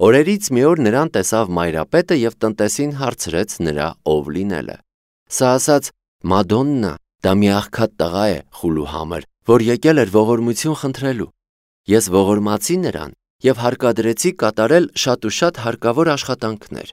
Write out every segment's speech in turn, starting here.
Օրերից մի օր նրան տեսավ մայրապետը և տնտեսին հարցրեց նրա ով լինելը։ Սա ասաց. «Մադոննա, դա մի աղքատ տղա է խուլու համար, որ եկել էր ողորմություն խնդրելու։ Ես ողորմացի նրան և հարկադրեցի կատարել շատ ու շատ հարկավոր աշխատանքներ։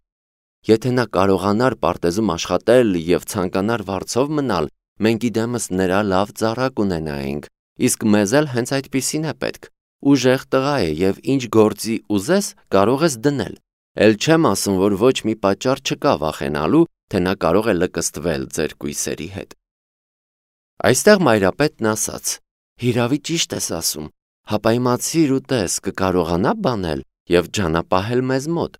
Եթե նա կարողանար պարտեզում աշխատել և ցանկանար վարձով մնալ, մենք իդեմս նրա լավ ծառա կունենայինք, իսկ մեզ էլ հենց այդպիսին է պետք։ Ուժեղ տղա է և ինչ գործի ուզես կարող ես դնել։ Էլ չեմ ասում, որ ոչ մի պատճառ չկա վախենալու, թե նա կարող է լկստվել ձեր կույսերի հետ»։ Այստեղ մայրապետն ասաց. «Հիրավի ճիշտ ես ասում, հապայմացիր ու տես կկարողանա բանել և ջանապահել մեզ մոտ։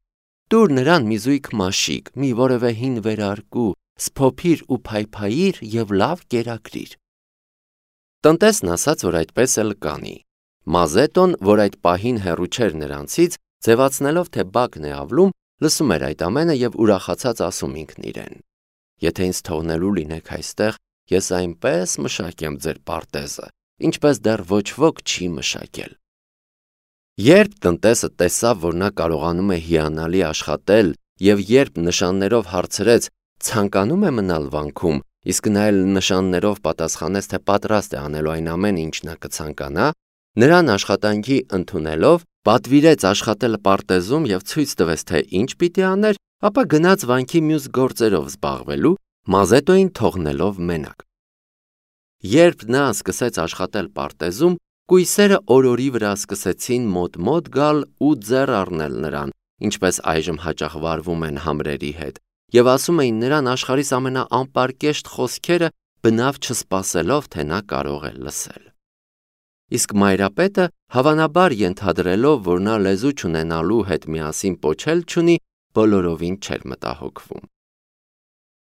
Տուր նրան մի զույգ մաշիկ, մի որևէ հին վերարկու, սփոփիր ու փայփայիր և լավ կերակրիր»։ Տնտեսն ասաց, որ այդպես էլ կանի։ Մազետոն, որ այդ պահին հեռու չէր նրանցից, ձևացնելով, թե բակն է ավլում, լսում էր այդ ամենը և ուրախացած ասում ինքն իրեն. «Եթե ինձ թողնելու լինեք այստեղ, ես այնպես մշակեմ ձեր պարտեզը, ինչպես դեռ ոչ ոք չի մշակել»։ Երբ տնտեսը տեսավ, որ նա կարողանում է հիանալի աշխատել, և երբ նշաններով հարցրեց ցանկանում է մնալ վանքում, իսկ նա էլ նշաններով պատասխանեց, թե պատրաստ է անելու այն ամենը, ինչ նա կցանկանա, նրան աշխատանքի ընդունելով, պատվիրեց աշխատել պարտեզում և ցույց տվեց, թե ինչ պիտի աներ, ապա գնաց վանքի մյուս գործերով զբաղվելու, Մազետոյին թողնելով մենակ։ Երբ նա սկսեց աշխատել պարտեզում, կույսերը օրորի վրա սկսեցին մոտ գալ ու ձեռ առնել նրան, ինչպես այժմ հաճախ վարվում են համրերի հետ, և ասում էին նրան աշխարհիս ամենաանպարկեշտ խոսքերը, բնավ չսպասելով, թե նա կարող է լսել։ Իսկ մայրապետը, հավանաբար ենթադրելով, որ նա լեզու չունենալու հետ միասին պոչել չունի, բոլորովին չէր մտահոգվում։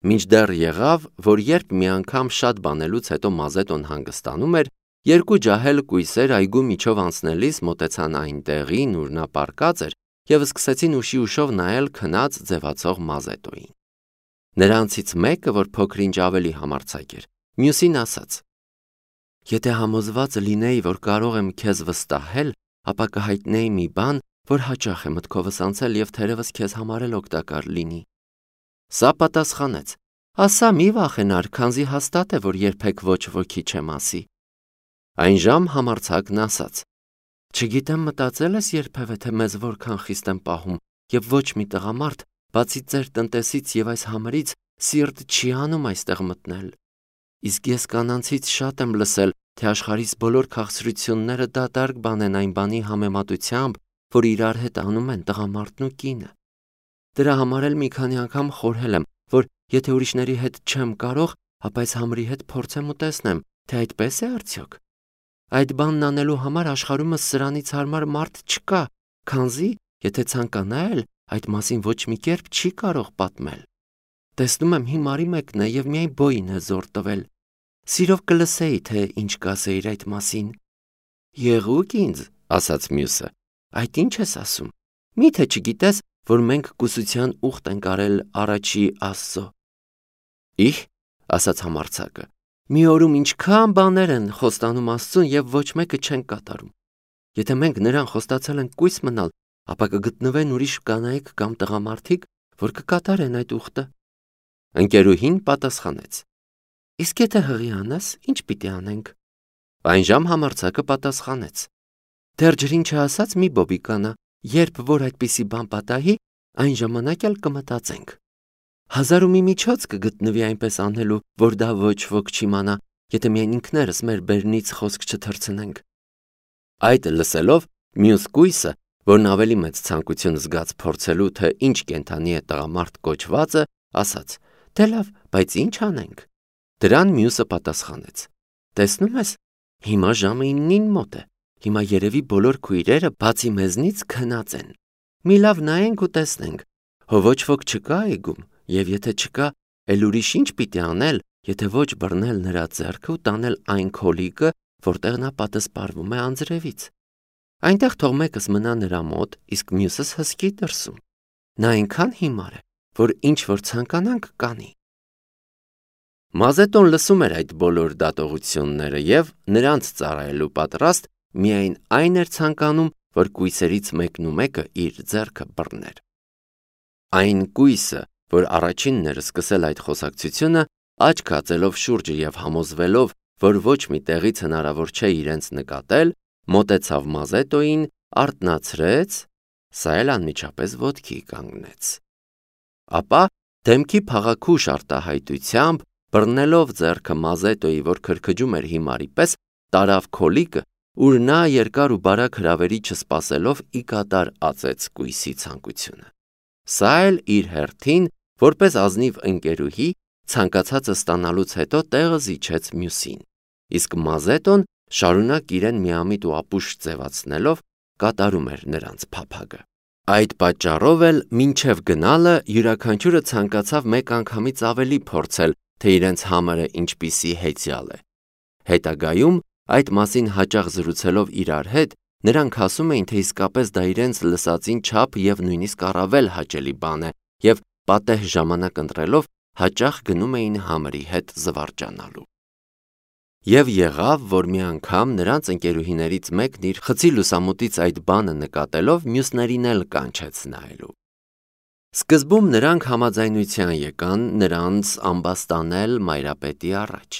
Մինչդեռ եղավ, որ երբ մի անգամ շատ բանելուց հետո Մազետոն հանգստանում էր, երկու ջահել կույսեր այգու միջով անցնելիս մոտեցան այն տեղին, ուր նա պառկած էր, և սկսեցին ուշի-ուշով նայել քնած ձևացող Մազետոյին։ Նրանցից մեկը, որ փոքր-ինչ ավելի համարձակ էր, մյուսին ասաց. «Եթե համոզված լինեի, որ կարող եմ քեզ վստահել, ապա կհայտնեի մի բան, որ հաճախ է մտքովս անցել և թերևս քեզ համար էլ օգտակար լինի»։ Սա պատասխանեց. «Ասա, մի վախենար, քանզի հաստատ է, որ երբեք ոչ ոքի չեմ ասի»։ Այն ժամ համարձակն ասաց. «Չգիտեմ մտածել ես երբևէ, թե մեզ որքան խիստ եմ պահում, և ոչ մի տղամարդ, բացի ձեր տնտեսից և այս համրից, սիրտ չի անում այստեղ մտնել։ Իսկ ես կանանցից շատ եմ լսել, թե աշխարհիս բոլոր քաղցրությունները դատարկ բան են այն բանի համեմատությամբ, որ իրար հետ անում են տղամարդն ու կինը։ Դրա համար էլ մի քանի անգամ խորհել եմ, որ եթե ուրիշների հետ չեմ կարող, ապա այս համրի հետ փորձեմ ու տեսնեմ, թե այդպես է արդյոք։ Այդ բանն անելու համար աշխարհումս սրանից հարմար մարդ չկա, քանզի, եթե ցանկանա էլ, այդ մասին ոչ մի կերպ չի կարող պատմել։ Տեսնում եմ հիմարի մեկն է և միայն բոյին է զոր տվել։ Սիրով կլսեի, թե ինչ կասեիր այդ մասին։ Եղուկ ինձ, ասաց մյուսը, այդ ինչ ես ասում։ Մի՞թե չգիտես, որ մենք կուսության ուխտ ենք արել առաջի Աստծո։ Իհ, ասաց համարձակը, մի օրում ինչքան բաներ են խոստանում Աստծուն և ոչ մեկը չեն կատարում։ Եթե մենք նրան խոստացել ենք կույս մնալ, ապա կգտնվեն ուրիշ կանայք կամ տղամարդիկ, որ կկատարեն այդ ուխտը։ Ընկերուհին պատասխանեց. Իսկ եթե հղի անես, ինչ պիտի անենք։ Այն ժամ համարձակը պատասխանեց. Դեռ ջրին չհասած մի բոբիկանա, երբ որ այդպիսի բան պատահի, այն ժամանակ էլ կմտածենք։ 1000 ու մի միջոց կգտնվի այնպես անելու, որ դա ոչ ոք չիմանա, եթե միայն ինքներս մեր բերնից խոսք չթռցնենք։ Այդ լսելով, մյուս կույսը, որն ավելի մեծ ցանկություն զգաց փորձելու, թե ինչ կենդանի է տղամարդ կոչվածը, ասաց. Դե լավ, բայց ինչ անենք։ Դրան մյուսը պատասխանեց. Տեսնում ես, հիմա ժամը 9-ին մոտ է։ Հիմա երևի բոլոր քույրերը բացի մեզնից քնած են։ Մի լավ նայենք ու տեսնենք։ Հո ոչ ոք չկա այգում, և եթե չկա, էլ ուրիշ ինչ պիտի անել, եթե ոչ բռնել նրա ձեռքը ու տանել այն քոլիկը, որտեղ նա պատսպարվում է անձրևից։ Այնտեղ թող մեկս մնա նրա մոտ, իսկ մյուսս հսկի դրսում։ Նա այնքան հիմար է, որ ինչ որ ցանկանանք կանի։ Մազետոն լսում էր այդ բոլոր դատողությունները և նրանց ծառայելու պատրաստ, միայն այն էր ցանկանում, որ կույսերից մեկը իր ձեռքը բռներ։ Այն կույսը, որ առաջինն էր սկսել այդ խոսակցությունը, աչք հացելով շուրջը եւ համոզվելով, որ ոչ մի տեղից հնարավոր չէ իրենց նկատել, մոտեցավ Մազետոյին, արթնացրեց, սա էլ անմիջապես ոտքի կանգնեց։ Ապա դեմքի փաղաքուշ արտահայտությամբ, բռնելով ձեռքը Մազետոյի, որ քրքջում էր հիմարի պես, տարավ քոլիկը, ուր նա երկար ու բարակ հրավերի չսպասելով ի կատար ածեց կույսի ցանկությունը։ Սա էլ իր հերթին, որպես ազնիվ ընկերուհի, ցանկացածը ստանալուց հետո տեղը զիջեց մյուսին, իսկ Մազետոն շարունակ իրեն միամիտ ու ապուշ ձևացնելով կատարում էր նրանց փափագը։ Այդ պատճառով էլ մինչև գնալը յուրաքանչյուրը ցանկացավ մեկ անգամից ավելի փորձել, թե իրենց համարը ինչպիսի հեծյալ է։ Հետագայում այդ մասին հաճախ զրուցելով իրար հետ, նրանք ասում էին, թե իսկապես դա իրենց լսածին չափ եւ նույնիսկ առավել հաճելի բան է, եւ պատեհ ժամանակ ընտրելով հաճախ գնում էին համրի հետ զվարճանալու։ Եվ եղավ, որ մի անգամ նրանց ընկերուհիներից մեկն իր խցի լուսամուտից այդ բանը նկատելով մյուսներին էլ կանչեց նայելու։ Սկզբում նրանք համաձայնության եկան նրանց ամբաստանել Մայրապետի առաջ։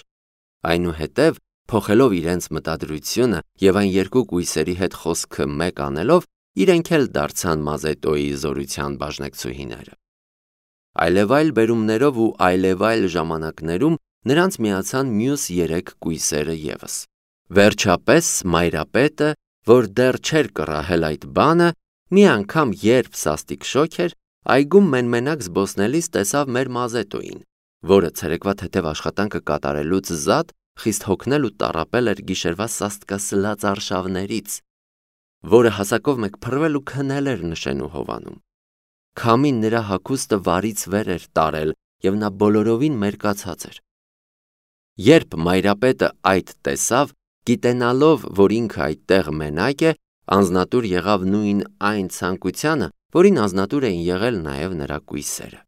Այնուհետև, փոխելով իրենց մտադրությունը եւ այն երկու կույսերի հետ խոսքը մեկ անելով, իրենք էլ դարձան Մազետոյի զորության բաժնեկցուհիները։ Այլևայլ բերումներով ու այլևայլ ժամանակներում նրանց միացան մյուս 3 կույսերը ևս։ Վերջապես Մայրապետը, որ դեռ չէր կռահել այդ բանը, մի անգամ երբ սաստիկ շոգ էր, այգում մենմենակ զբոսնելիս տեսավ մեր Մազետոյին, որը ցերեկվա թեթև աշխատանքը կատարելուց զատ խիստ հոգնել ու տառապել էր գիշերվա սաստկասլաց արշավներից, որը հասակով մեկ փռվել ու քնել էր նշեն ու հովանում։ Քամին նրա հագուստը վարից վեր էր տարել եւ նա բոլորովին մերկացած էր։ Երբ Մայրապետը այդ տեսավ, գիտենալով, որ ինքը այդտեղ մենակ է, անձնատուր եղավ նույն այն ցանկությանը, որին անձնատուր էին եղել նաև նրա կույսերը։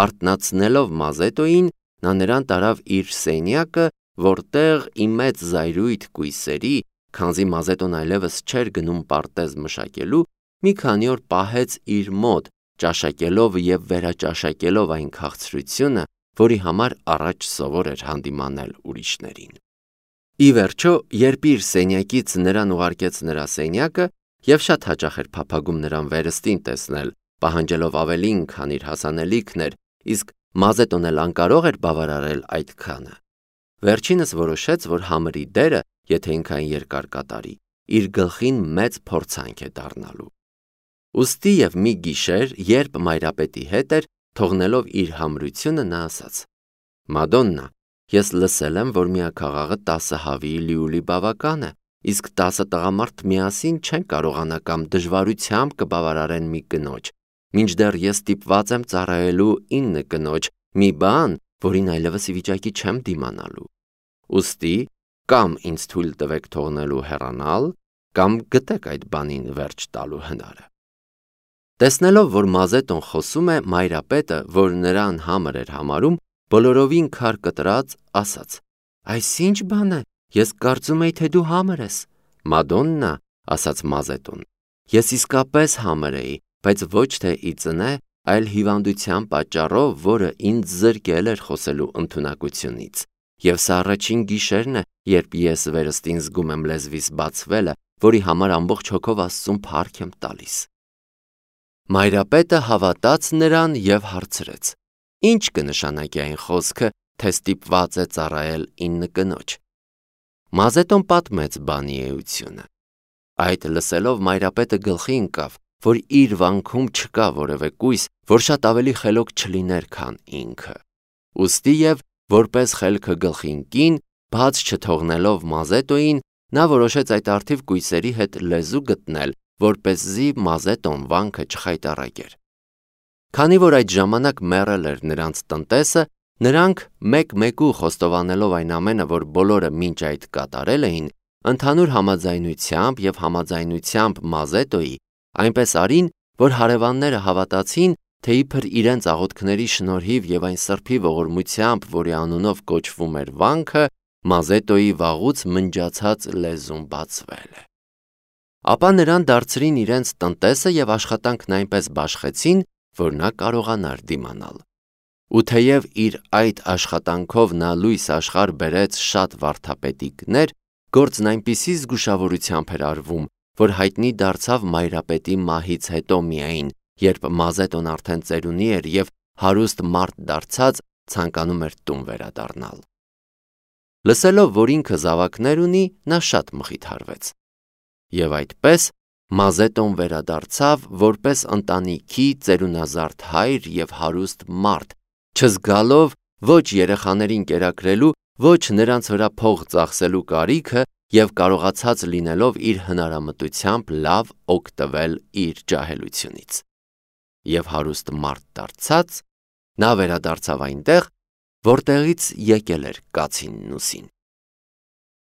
Արթնացնելով Մազետոյին, նա նրան տարավ իր սենյակը, որտեղ ի մեծ զայրույթ կույսերի, քանզի Մազետոն այլևս չէր գնում պարտեզ մշակելու, մի քանի օր պահեց իր մոտ, ճաշակելով եւ վերաճաշակելով այն քաղցրությունը, որի համար առաջ սովոր էր հանդիմանել ուրիշներին։ Ի վերջո, երբ իր սենյակից նրան ուղարկեց նրա սենյակը եւ շատ հաճախ էր փափագում նրան վերստին տեսնել, պահանջելով ավելին, քան իր հասանելիքն էր, իսկ Մազետոն էլ անկարող էր բավարարել այդքանը, վերջինս որոշեց, որ համրի դերը, եթե ինքան երկար կատարի, իր գլխին մեծ փորձանք է դառնալու։ Ուստի եւ մի գիշեր, երբ Մայրապետի հետ էր, թողնելով իր համրությունը, նա ասաց. «Մադոննա, ես լսել եմ, որ միաքաղաղը 10 հավի լիուլի բավական է, իսկ 10 տղամարդ միասին չեն կարողանա կամ դժվարությամբ կբավարարեն մի կնոջ, մինչդեռ ես ստիպված եմ ծառայելու 9 կնոջ, մի բան, որին այլևս ի վիճակի չեմ դիմանալու։ Ուստի կամ ինձ թույլ տվեք թողնելու հեռանալ, կամ գտեք այդ բանին վերջ տալու հնարը»։ Տեսնելով, որ Մազետոն խոսում է, Մայրապետը, որ նրան համր էր համարում, բոլորովին քար կտրած, ասաց. «Այս ինչ բան է, ես կարծում էի, թե դու համր ես»։ «Մադոննա», ասաց Մազետոն, «ես իսկապես համր էի, բայց ոչ թե ի ծնե, այլ հիվանդության պատճառով, որը ինձ զրկել էր խոսելու ընդունակությունից, եւ սա առաջին գիշերն է, երբ ես վերստին զգում եմ լեզվիս բացվելը, որի համար ամբողջ հոգով Աստծուն փառք եմ տալիս»։ Մայրապետը հավատաց նրան եւ հարցրեց. «Ինչ կնշանակի այն խոսքը, թե ստիպված է ծառայել 9 կնոջ»։ Մազետոն պատմեց բանի էությունը։ Այդ լսելով Մայրապետը գլխի ընկավ, որ իր վանքում չկա որևէ կույս, որ շատ ավելի խելոք չլիներ, քան ինքը։ Ուստի եւ որպես խելքը գլխի ընկին, բաց չթողնելով Մազետոյին, նա որոշեց այդ արդիվ կույսերի հետ լեզու գտնել, որպեսզի Մազետոն վանքը չխայտառակեր։ Քանի որ այդ ժամանակ մեռել էր նրանց տնտեսը, նրանք մեկ-մեկու խոստովանելով այն ամենը, որ բոլորը մինչ այդ կատարել էին, ընդհանուր համաձայնությամբ եւ համաձայնությամբ Մազետոյի, այնպես արին, որ հարևանները հավատացին, թե իբր իրենց աղոթքների շնորհիվ եւ այն սրբի ողորմությամբ, որի անունով կոչվում էր վանքը, Մազետոյի վաղուց մնջացած լեզուն բացվել է։ ապա նրան դարձրին իրենց տնտեսը և աշխատանքն այնպես բաշխեցին, որ նա կարողանար դիմանալ։ Ու թեև իր այդ աշխատանքով նա լույս աշխարհ բերեց շատ վարդապետիկներ, գործն այնպիսի զգուշավորությամբ էր արվում, որ հայտնի դարձավ մայրապետի մահից հետո միայն, երբ Մազետոն արդեն ծերունի էր և հարուստ մարդ դարձած ցանկանում էր տուն վերադառնալ։ Լսելով, որ ինքը զավակներ ունի, նա շատ մխիթարվեց։ Եվ այդպես Մազետոն վերադարձավ որպես ընտանիքի ծերունազարդ հայր և հարուստ մարդ, չզգալով ոչ երեխաներին կերակրելու, ոչ նրանց վրա փող ծախսելու կարիքը և կարողացած լինելով իր հնարամտությամբ լավ օգտվել իր ջահելությունից։ Եվ հարուստ մարդ դարձած, նա վերադարձավ այնտեղ, որտեղից եկել էր կացին Նուսին։